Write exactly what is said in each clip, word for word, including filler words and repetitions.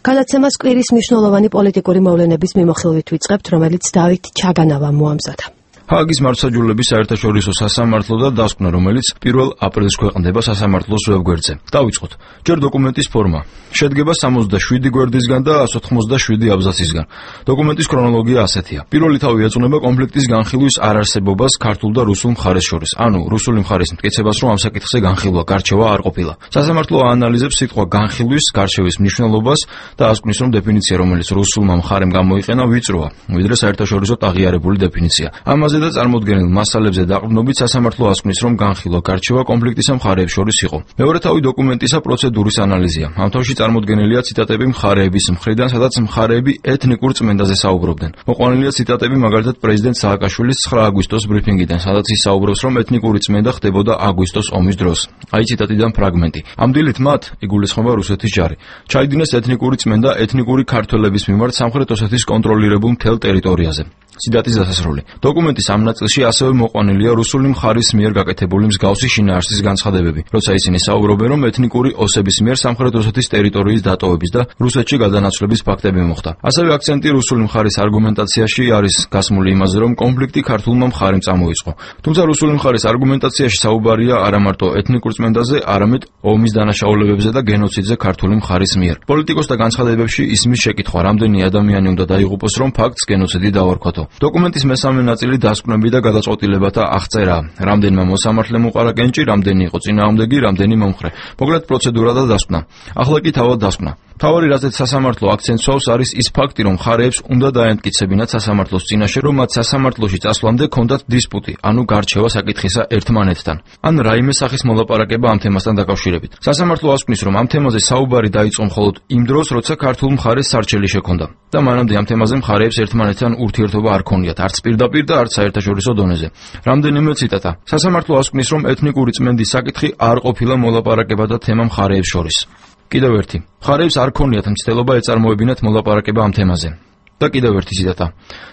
გადაცემას კვირის მნიშვნელოვანი პოლიტიკური მოვლენების მიმოხილვით ვიწყებთ, რომელიც დავით ჩაგანავამ მოამზადა. ჰააგის მართლმსაჯულების საერთაშორისო სასამართლო და დასკვნა, რომელიც პირველ აპრილს ქვეყნდება სასამართლოს ვებგვერდზე. დავიწყოთ. ჯერ დოკუმენტის ფორმა. შედგება სამოცდაშვიდი გვერდისგან და εκατს ოცდაშვიდი აბზაცისგან. დოკუმენტის ქრონოლოგია ასეთია. პირველი თავი ეძღვნება კონფლიქტის განხილვის არარსებობას ქართულ და რუსულ მხარეს შორის. ანუ რუსული მხარის მტკიცებას, რომ ამ საკითხზე განხილვა, გარჩევა არ ყოფილა. სასამართლო აანალიზებს სიტყვა განხილვის, გარჩევის მნიშვნელობას და ასკვნის, რომ დეფინიცია, რომელიც რუსულმა მხარემ გამოიყენა, ვიწროა, ვიდრე საერთაშორისოდ აღიარებული დეფინიცია. ამაზე და წარმოდგენილ მასალებზე დაყრდნობით სასამართლო ასკვნის, რომ განხილვა, გარჩევა კონფლიქტის მხარეებს შორის იყო. მეორე თავი დოკუმენტისა პროცედურის ანალიზია. ამ თავში წარმოდგენილია ციტატები მხარეების მხრიდან, სადაც მხარეები ეთნიკურ წმენდაზე საუბრობდნენ. მოყვანილია ციტატები მაგალითად პრეზიდენტ სააკაშვილის ცხრა აგვისტოს ბრიფინგიდან, სადაც ის საუბრობს, რომ ეთნიკური წმენდა ხდებოდა აგვისტოს ომის დროს. აი ციტატიდან ფრაგმენტი. ამ დილით მათ, იგულისხმება რუსეთის ჯარი, ჩაიდინეს ეთნიკური წმენდა ეთნიკური ქართველების მიმართ სამხრეთ ოსეთის კონტროლირებულ მთელ ტერიტორიაზე. ციტატის დასასრული. დოკუმენტის ამ ნაწილში ასევე მოყვანილია რუსული მხარის მიერ გაკეთებული მსგავსი შინაარსის განცხადებები, როცა ისინი საუბრობენ, რომ ეთნიკური ოსების მიერ სამხრეთ ოსეთის ტერიტორიის დატოვების და რუსეთში გადანაცვლების ფაქტები მოხდა. ასევე აქცენტი რუსული მხარის არგუმენტაციაში არის გასმული იმაზე, რომ კონფლიქტი ქართულმა მხარემ წამოიწყო. თუმცა რუსული მხარის არგუმენტაციაში საუბარია არა მარტო ეთნიკურ წმენდაზე, არამედ ომის დანაშაულებებზე და გენოციდზე ქართული მხარის მიერ. პოლიტიკოსთა განცხადებებში ისმის შეკითხვა, რამდენი ადამიანი უნდა დაიღუპოს, რომ ფაქტს გენოციდი დავარქვათო. დოკუმენტის მესამე ნაწილი დასკვნები და გადაწყვეტილებათა აღწერა. რამდენმა მოსამართლემ უყარა კენჭი, რამდენი იყო წინააღმდეგი, რამდენი მომხრე. მოკლედ პროცედურა და დასკვნა. ახლა კი თავად დასკვნა. მთავარი რაზეც სასამართლო აქცენტს სვავს არის ის ფაქტი, რომ მხარეებს უნდა დაემტკიცებინათ სასამართლოს წინაშე, რომ მათ სასამართლოში წასვლამდე ჰქონდათ დისპუტი, ანუ გარჩევა საკითხისა ერთმანეთთან. ან რაიმე სახის მოლაპარაკება ამ თემასთან დაკავშირებით. სასამართლო ასკვნის, რომ ამ თემაზე საუბარი დაიწყო მხოლოდ იმ დროს, როცა ქართულ მხარეს სარჩელი შექონდა და მანამდე ამ თემაზე მხარეებს ერთმანეთთან ურთიერთობა არ ქონიათ, არც პირდაპირ და არც საერთაშორისო დონეზე. რამდენიმე ციტატა. სასამართლო ასკვნის, რომ ეთნიკური წმენდის საკითხი არ ყოფილა მოლაპარაკებათა თემა მხარეებს შორის. კიდევ ერთი. მხარეებს არ ქონიათ მცდელობა ეწარმოებინათ მოლაპარაკება ამ თემაზე. და კიდევ ერთი ციტატა.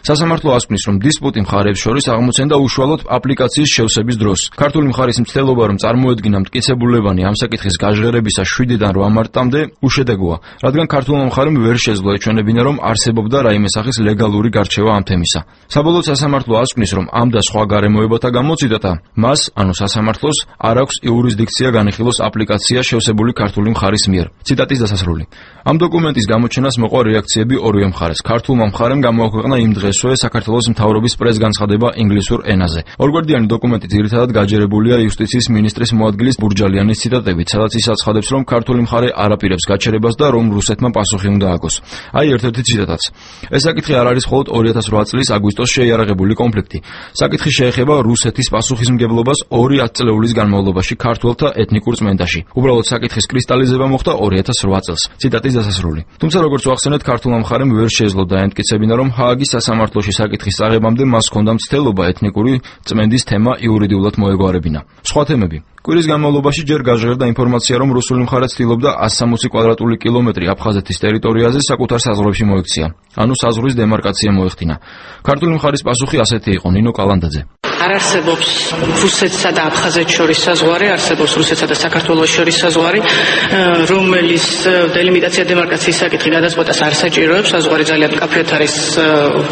სასამართლო ასკვნის, რომ დისპუტი მხარეებს შორის აღმოცენდა უშუალოდ აპლიკაციის შევსების დროს. ქართული მხარის მცდელობა, რომ წარმოედგინა მტკიცებულებანი ამ საკითხის გაჟღერებისა შვიდიდან რვა მარტამდე უშედეგოა, რადგან ქართულმა მხარემ ვერ შეძლო ეჩვენებინა, რომ არსებობდა რაიმე სახის ლეგალური გარჩევა ამ თემისა. საბოლოოდ სასამართლო ასკვნის, რომ ამ და სხვა გარემოებათა გამო ციტატა, მას, ანუ სასამართლოს, არ აქვს იურისდიქცია განიხილოს აპლიკაცია შევსებული ქართული მხარის მიერ. ციტატის დასასრული. ამ დოკუმენტის გამოჩენას მოყვა რეაქციები ორივე მხარეს. ქართულ მხარემ გამოაქვეყნა იმ დღესვე საქართველოს მთავრობის პრეს-განცხადება ინგლისურ ენაზე. ორგვერდიანი დოკუმენტი ძირითადად გაჯერებულია იუსტიციის მინისტრის მოადგილის ბურჯალიანის ციტატებით, სადაც ის აცხადებს, რომ ქართული მხარე არ აპირებს გაჩერებას და რომ რუსეთმა პასუხი უნდა აგოს. აი ერთ-ერთი ციტატაც. ეს საკითხი არ არის მხოლოდ ორი ათას რვა წლის აგვისტოს შეიარაღებული კონფლიქტი. საკითხი შეეხება რუსეთის პასუხისმგებლობას ორი ათწლეულის განმავლობაში ქართველთა ეთნიკურ წმენდაში. უბრალოდ საკითხის კრისტალიზება მოხდა ორი ათას რვა წელს. ციტატის დასასრული. თუმცა როგორც ვახსენეთ, ქართულმა მხარემ ვერ შეძლო ემტკიცებინა, რომ ჰააგის სასამართლოში საკითხის აღებამდე მას ჰქონდა მცდელობა ეთნიკური წმენდის თემა იურიდიულად მოეგვარებინა. სხვა თემები. კვირის განმავლობაში ჯერ გაჟღერდა ინფორმაცია, რომ რუსული მხარე ცდილობდა εκατს სამოცი კვადრატული კილომეტრი აფხაზეთის ტერიტორიაზე საკუთარ საზღვრებში მოექცია. ანუ საზღვრის დემარკაცია მოეხდინა. ქართული მხარის პასუხი ასეთი იყო, ნინო კალანდაძე. არ არსებობს რუსეთსა და აფხაზეთს შორის საზღვარი, არსებობს რუსეთსა და საქართველოს შორის საზღვარი, რომელიც დელიმიტაცია დემარკაციის საკითხი გადაწყვეტას არ საჭიროებს. საზღვარი ძალიან მკაფიოდ არის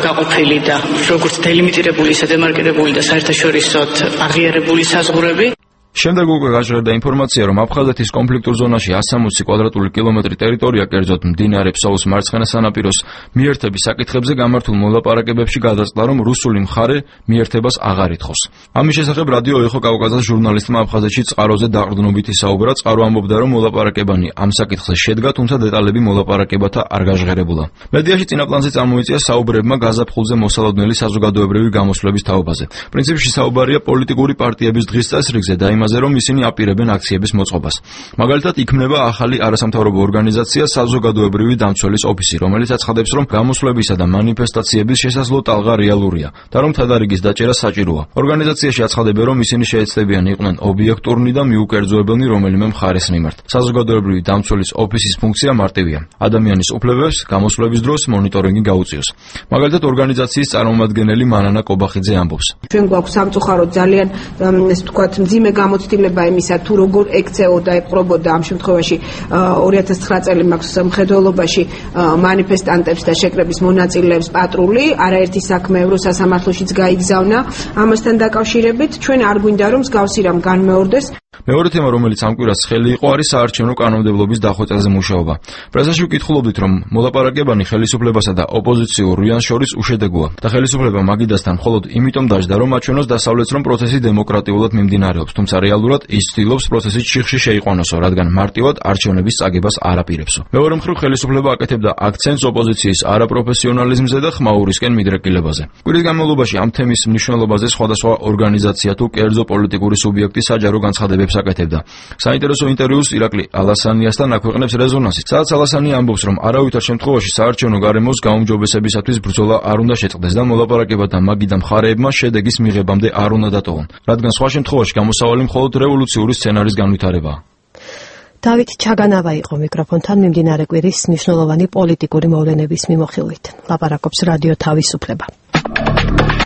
გაყოფილი და როგორც დელიმიტირებული, ისე დემარკირებული და საერთაშორისოდ აღიარებული საზღვრები. შემდეგ უკვე გაჟღერდა ინფორმაცია, რომ აფხაზეთის კონფლიქტურ ზონაში εκατს სამოცი კვადრატული კილომეტრი ტერიტორია, კერძოდ მდინარე ფსოუს მარცხენა სანაპიროს მიერთების საკითხებზე გამართულ მოლაპარაკებებში გადაწყდა, რომ რუსული მხარე მიერთებას აღარ ითხოვს. ამის შესახებ რადიო ეხო კავკასიის ჟურნალისტმა აფხაზეთში წყაროზე დაყრდნობით ისაუბრა. წყარო ამბობდა, რომ მოლაპარაკებანი ამ საკითხზე შედგა, თუმცა დეტალები მოლაპარაკებათა არ გაჟღერებულა. მედიაში წინა პლანზე წამოიწია საუბრებმა გაზაფხულზე მოსალოდნელი საზოგადოებრივი გამოსვლების თაობაზე. პრინციპში საუბარია პოლიტიკური პარტიების დღის წესრიგზე და იმაზე, რომ ისინი აპირებენ აქციების მოწყობას. მაგალითად, იქმნება ახალი არასამთავრობო ორგანიზაცია საზოგადოებრივი დამცველის ოფისი, რომელიც აცხადებს, რომ გამოსვლებისა და მანიფესტაციების შესაძლო ტალღა რეალურია და რომ თადარიგის დაჭერა საჭიროა. ორგანიზაციაში აცხადებენ, რომ ისინი შეეცდებიან იყვნენ ობიექტურნი და მიუკერძოებელნი რომელიმე მხარეს მიმართ. საზოგადოებრივი დამცველის ოფისის ფუნქცია მარტივია: ადამიანის უფლებებს გამოსვლების დროს მონიტორინგი გაუწიოს. მაგალითად, ორგანიზაციის წარმომადგენელი მანანა კობახიძე ამბობს: ჩვენ გვაქვს სამწუხაროდ ძალიან, ესე ვთქვათ, მძიმე გამოცდილება იმისა თუ როგორ ექცეოდა ეპყრობოდა ამ შემთხვევაში ორი ათას ცხრა წელი მაქვს მხედველობაში მანიფესტანტებს და შეკრების მონაწილეებს პატრული, არაერთი საქმე ევროსასამართლოშიც გაიგზავნა ამასთან დაკავშირებით. ჩვენ არ გვინდა რომ მსგავსი რამ განმეორდეს. მეორე თემა, რომელიც ამ კვირას ხელი იყო, არის საარჩევნო კანონმდებლობის დახვეწაზე მუშაობა. პრესაში ვკითხულობდით, რომ მოლაპარაკებანი ხელისუფლებასა და ოპოზიციურ რიანს შორის უშედეგოა და ხელისუფლება მაგიდასთან მხოლოდ იმიტომ დაждდა, რომ აჩვენოს დასავლეთს, რომ პროცესი დემოკრატიულად მიმდინარეობს, თუმცა რეალურად ის ცდილობს პროცესის ჩიხში შეიყვანოსო, რადგან მარტივად არჩევნების წაგებას არ აპირებსო. მეორე მხრივ, ხელისუფლება აკეთებდა აქცენტს ოპოზიციის არაპროფესიონალიზმზე და ხმაურისკენ მიდრეკილებაზე. კვირის განმავლობაში ამ თემის მნიშვნელობაზე სხვადასხვა ორგანიზაცია თუ კერძო პოლიტიკური სუბიექტი საჯარო განცხადებებს აკეთებდა. საინტერესო ინტერვიუს ირაკლი ალასანიასთან აქვეყნებს რეზონანსი. სადაც ალასანი ამბობს, რომ არავითარ შემთხვევაში საარჩევნო გარემოს გაუმჯობესებისათვის ბრძოლა არ უნდა შეწყდეს და მოლაპარაკება და მაგიდა მხარეებმა შედეგის მიღებამდე არ უნდა დატოვონ, რადგან სხვა შემთხვევაში გამოსავალი მხოლოდ რევოლუციური სცენარის განვითარებაა. დავით ჩაგანავა იყო მიკროფონთან მიმდინარე კვირის მნიშვნელოვანი პოლიტიკური მოვლენების მიმოხილვით. ლაპარაკობს რადიო თავისუფლება.